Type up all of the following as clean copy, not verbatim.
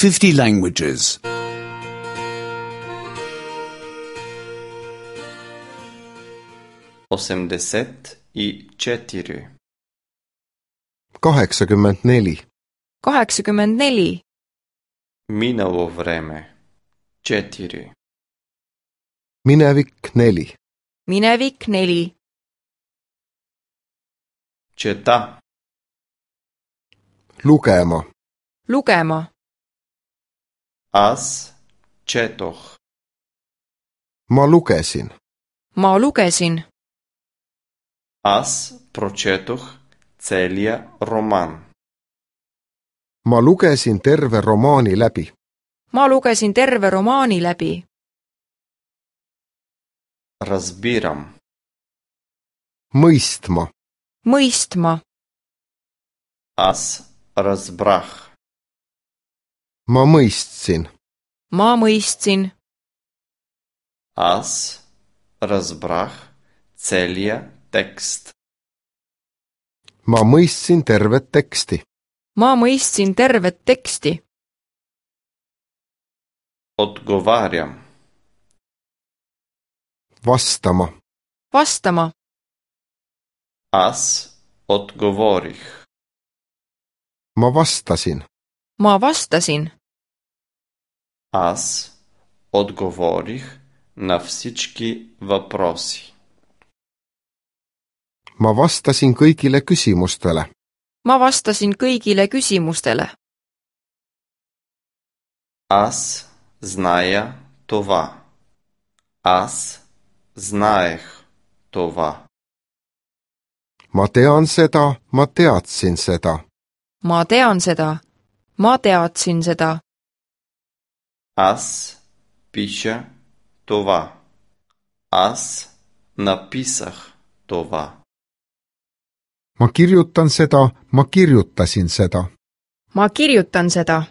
50 languages. 84. 84. 84. Минало време 4. Minevik 4. Minevik 4. Чета. Lugema. Lugema. Аз четох. Ma lugesin. Ma lugesin. Аз прочетох целия роман. Ma lugesin terve romaani läbi. Ma lugesin terve romaani läbi. Разбирам. Mõistma. Mõistma. Аз разбрах. Ma mõistsin. Ma mõistsin. Аз разбрах целия текст. Ma mõistsin tervet teksti. Ma mõistsin tervet teksti. Отговарям. Vastama. Vastama. Аз отговорих. Ma vastasin. Ma vastasin. Аз отговорих на всички въпроси. Ma vastasin kõigile küsimustele. Ma vastasin kõigile küsimustele. Аз зная това. Аз знаех това. Ma tean seda, ma teadsin seda. Ma tean seda. Ma teadsin seda. Аз пиша това. Аз написах това. Ma kirjutan seda, ma kirjutasin seda. Ma kirjutan seda.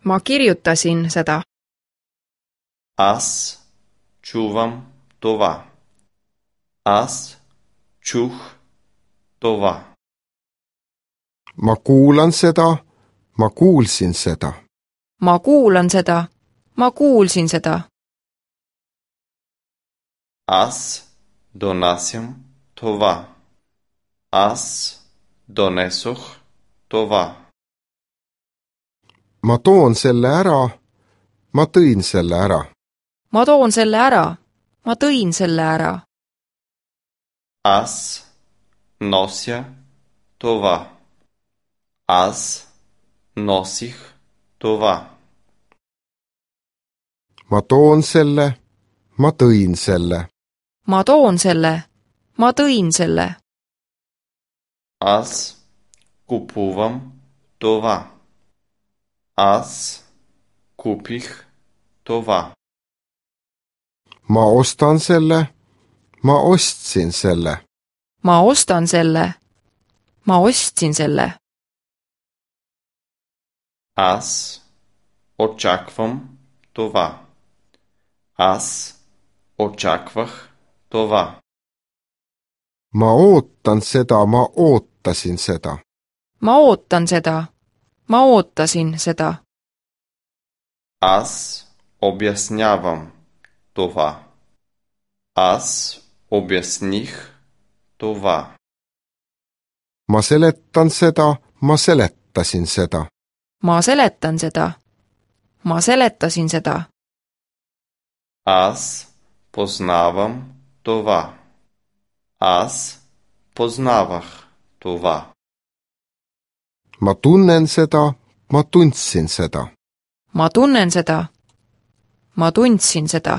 Ma kirjutasin seda. Аз чувам това. Аз чух това. Ma kuulan seda, ma kuulsin seda. Ma kuulan seda. Ma kuulsin seda. Аз донасям това. Аз донесох това. Ma toon selle ära, ma tõin selle ära. Ma toon selle ära. Ma tõin selle ära. Аз нося това. Аз носих това. Ma toon selle, ma tõin selle. Ma toon selle. Ma tõin selle. Аз купувам това. Аз купих това. Ma ostan selle, ma ostsin selle. Ma ostan selle. Ma ostsin selle. Аз очаквам това. Аз очаквах това. Ma ootan seda, ma ootasin seda. Ma ootan seda. Ma ootasin seda. Аз обяснявам това. Аз обясних това. Ma seletan seda, ma seletasin seda. Ma seletan seda. Ma seletasin seda. Аз познавам това. Аз познавах това. Ma tunnen seda, ma tundsin seda. Ma tunnen seda. Ma tundsin seda.